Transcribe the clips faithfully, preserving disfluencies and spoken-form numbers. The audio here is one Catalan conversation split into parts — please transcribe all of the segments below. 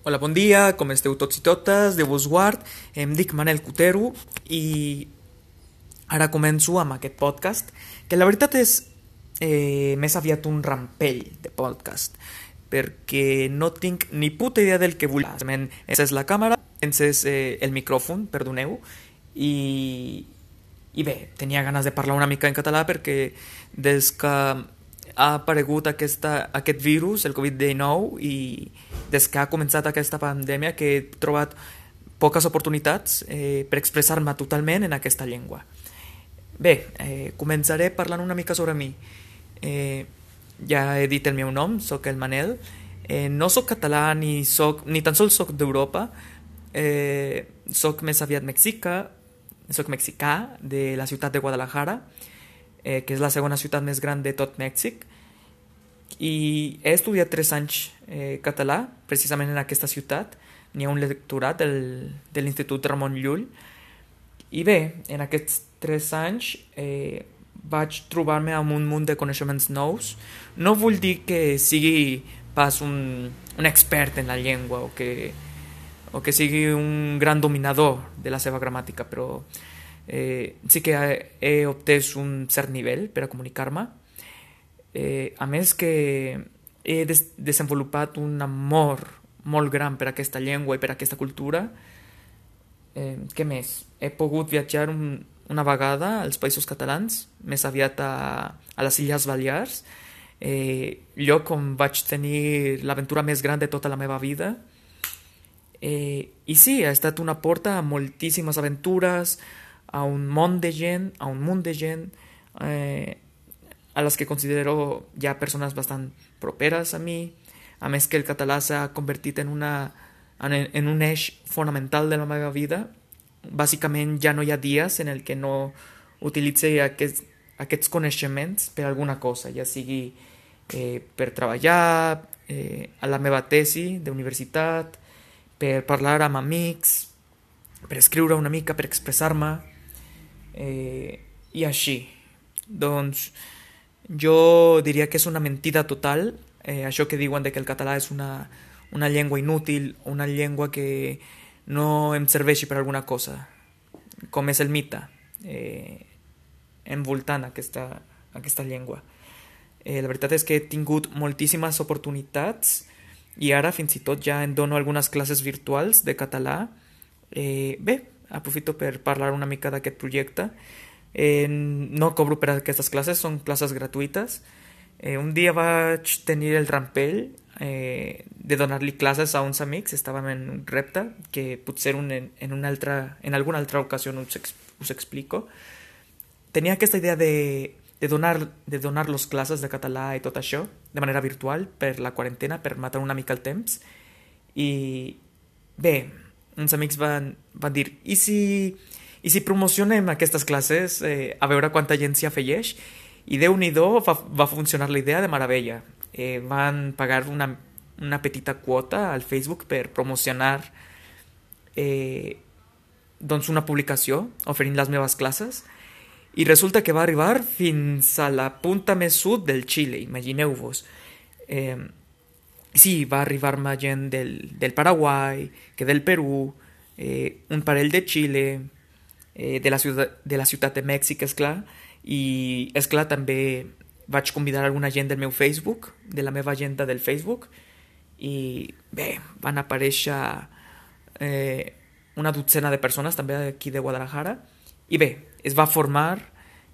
Hola, bon dia, com esteu tots i totes? Déu vos guard. Em dic Manel Cotero i ara començo amb aquest podcast, que la veritat és eh, més aviat un rampell de podcast, perquè no tinc ni puta idea del que vull. Encès la càmera, encès eh, el micròfon, perdoneu, i, i bé, tenia ganes de parlar una mica en català perquè des que ha aparegut aquesta, aquest virus, el covid dinou, i des que ha començat aquesta pandèmia que he trobat poques oportunitats eh, per expressar-me totalment en aquesta llengua. Bé, eh, començaré parlant una mica sobre mi. Eh, ja he dit el meu nom, sóc el Manel. Eh, no sóc català ni, soc, ni tan sols sóc d'Europa. Eh, soc més aviat mexicà, soc mexicà de la ciutat de Guadalajara, eh, que és la segona ciutat més gran de tot Mèxic, i he estudiat tres anys eh, català, precisament en aquesta ciutat. N'hi ha un lectorat del, de l'Institut Ramon Llull, i bé, en aquests tres anys eh, vaig trobar-me amb un munt de coneixements nous. No vull dir que sigui pas un, un expert en la llengua o que, o que sigui un gran dominador de la seva gramàtica, però eh, sí que he, he obtès un cert nivell per a comunicar-me. Eh, a més que he des desenvolupat un amor molt gran per a aquesta llengua i per a aquesta cultura. Eh, què més? He pogut viatjar un, una vegada als Països Catalans, més aviat a, a les Illes Balears, eh, lloc on vaig tenir l'aventura més gran de tota la meva vida. Eh, I sí, ha estat una porta a moltíssimes aventures, a un món de gent, a un munt de gent, eh, a les que considero ja persones bastant properes a mi, a més que el català s'ha convertit en, una, en, en un eix fonamental de la meva vida. Bàsicament ja no hi ha dies en el que no utilitzi aquests, aquests coneixements per alguna cosa, ja sigui eh, per treballar, eh, a la meva tesi d'universitat, per parlar amb amics, per escriure una mica, per expressar-me, eh, i així. Doncs jo diria que és una mentida total, eh, això que diuen de que el català és una, una llengua inútil, una llengua que no em serveixi per alguna cosa, com és el mite eh, envoltant aquesta, aquesta llengua. Eh, la veritat és que he tingut moltíssimes oportunitats i ara fins i tot ja en dono algunes classes virtuals de català. Eh, bé, aprofito per parlar una mica d'aquest projecte. Eh, no cobro per aquestes classes, són classes gratuïtes. Eh, un dia vaig tenir el rampell eh, de donar-li classes a uns amics. Estàvem en un repte que potser un, en, en, una altra, en alguna altra ocasió us, ex, us explico. Tenia aquesta idea de, de donar de donar-los classes de català i tot això de manera virtual per la quarantena, per matar una mica el temps. I bé, uns amics van, van dir, i si I si promocionem aquestes classes eh, a veure quanta gent s'hi afegeix? I Déu-n'hi-do, va, va funcionar la idea de meravella. Eh, van pagar una, una petita quota al Facebook per promocionar eh, doncs una publicació oferint les meves classes, i resulta que va arribar fins a la punta més sud del Xile, imagineu-vos. Eh, sí, va arribar-me gent del, del Paraguai, que del Perú, eh, un parell de Xile, de la, ciutat, de la ciutat de Mèxic, és clar, i és clar, també vaig convidar alguna gent del meu Facebook, de la meva agenda del Facebook, i bé, van aparèixer eh, una dotzena de persones també aquí de Guadalajara, i bé, es va formar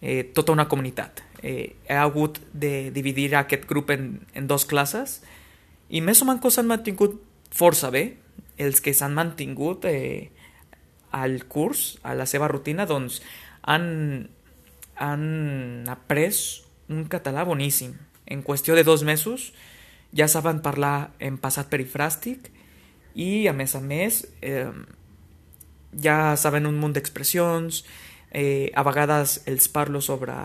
eh, tota una comunitat. Eh, he hagut de dividir aquest grup en, en dos classes, i més o menys s'han mantingut força bé. Els que s'han mantingut eh, al curs, a la seva rutina, doncs han, han après un català boníssim. En qüestió de dos mesos ja saben parlar en passat perifràstic i, a més a més, eh, ja saben un munt d'expressions. Eh, a vegades els parlo sobre,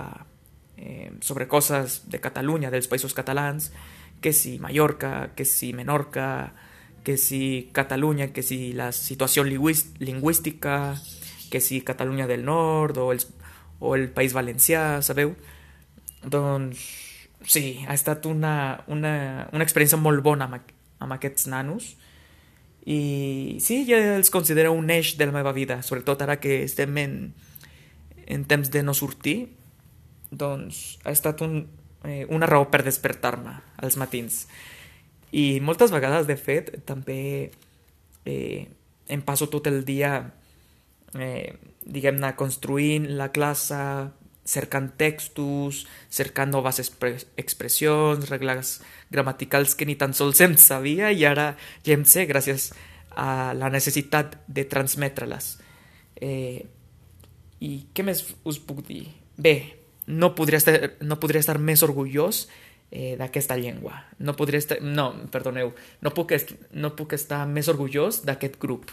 eh, sobre coses de Catalunya, dels països catalans, que si Mallorca, que si Menorca, que si Catalunya, que si la situació lingüística, que si Catalunya del Nord o, els, o el País Valencià, sabeu? Doncs sí, ha estat una, una, una experiència molt bona amb, amb aquests nanos, I sí, ja els considero un eix de la meva vida, sobretot ara que estem en, en temps de no sortir, doncs ha estat un, eh, una raó per despertar-me als matins. I moltes vegades, de fet, també eh, em passo tot el dia, eh, diguem-ne, construint la classe, cercant textos, cercant noves expre expressions, regles gramaticals que ni tan sols em sabia i ara ja em sé gràcies a la necessitat de transmetre-les. Eh, I què més us puc dir? Bé, no podria estar, no podria estar més orgullós eh, d'aquesta llengua. No podria estar... No, perdoneu. No puc, est no puc estar més orgullós d'aquest grup.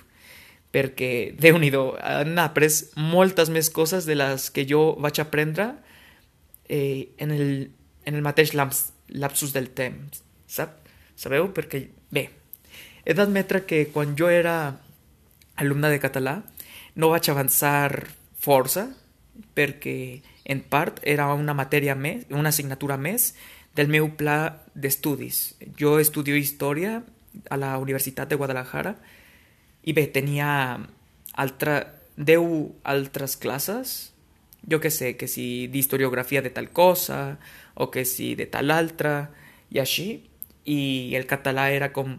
Perquè, Déu-n'hi-do, han après moltes més coses de les que jo vaig aprendre eh, en, el, en el mateix laps, lapsus del temps. Sap? Sabeu? Perquè, bé, he d'admetre que quan jo era alumne de català no vaig avançar força perquè en part era una matèria més, una assignatura més del meu pla d'estudis. Jo estudio història a la Universitat de Guadalajara i bé, tenia altra, deu altres classes, jo que sé, que si d'historiografia de tal cosa o que si de tal altra i així, i el català era com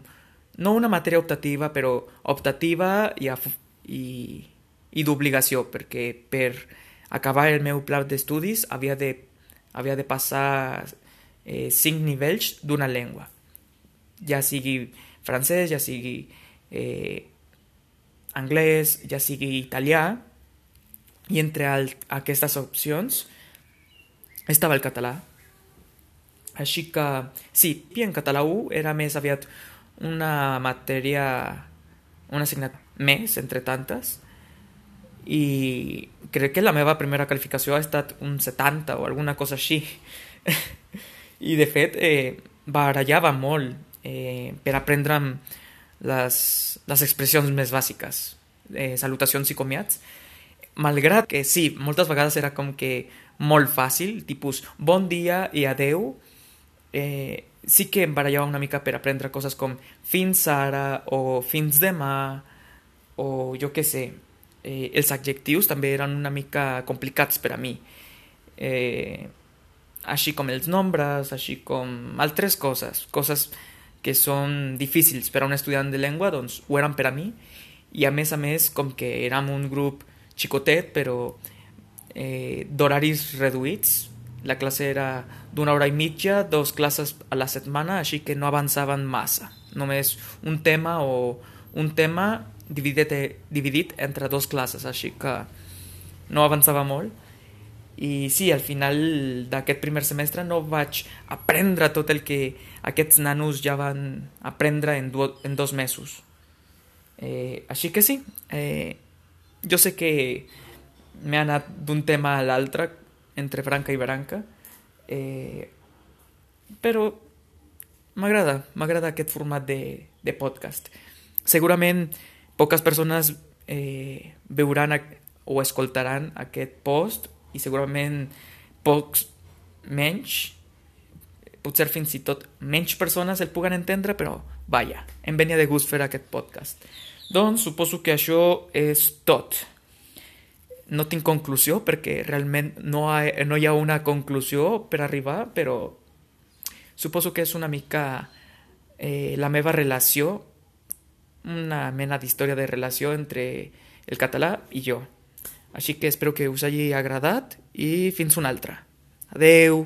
no una matèria optativa, però optativa i, i, i d'obligació, perquè per acabar el meu pla d'estudis havia de, havia de passar eh, cinc nivells d'una llengua, ja sigui francès, ja sigui eh, anglès, ja sigui italià, i entre el, aquestes opcions estava el català. Així que, sí, i en català u era més aviat una matèria, una assignatura més, entre tantes, i crec que la meva primera qualificació ha estat un setanta o alguna cosa així. I, de fet, eh, barallava molt eh, per aprendre'm les, les expressions més bàsiques, eh, salutacions i comiats, malgrat que sí, moltes vegades era com que molt fàcil, tipus bon dia i adeu. Eh, sí que em barallava una mica per aprendre coses com fins ara o fins demà o jo què sé. Eh, els adjectius també eren una mica complicats per a mi, eh, així com els nombres, així com altres coses, coses que són difícils per a un estudiant de llengua, doncs ho eren per a mi. I a més a més, com que érem un grup xicotet però eh, d'horaris reduïts, la classe era d'una hora i mitja, dos classes a la setmana, així que no avançaven massa. Només un tema o un tema dividit, dividit entre dos classes, així que no avançava molt. I sí, al final d'aquest primer semestre no vaig aprendre tot el que aquests nanos ja van aprendre en, du en dos mesos. Eh, així que sí, eh, jo sé que m'he anat d'un tema a l'altre, entre branca i branca, eh, però m'agrada, m'agrada aquest format de, de podcast. Segurament poques persones eh, veuran o escoltaran aquest post i segurament pocs menys, potser fins i tot menys persones el puguen entendre, però vaja, em venia de gust fer aquest podcast. Doncs suposo que això és tot. No tinc conclusió perquè realment no, ha, no hi ha una conclusió per arribar, però suposo que és una mica eh, la meva relació, una mena d'història de relació entre el català i jo. Així que espero que us hagi agradat i fins una altra. Adeu!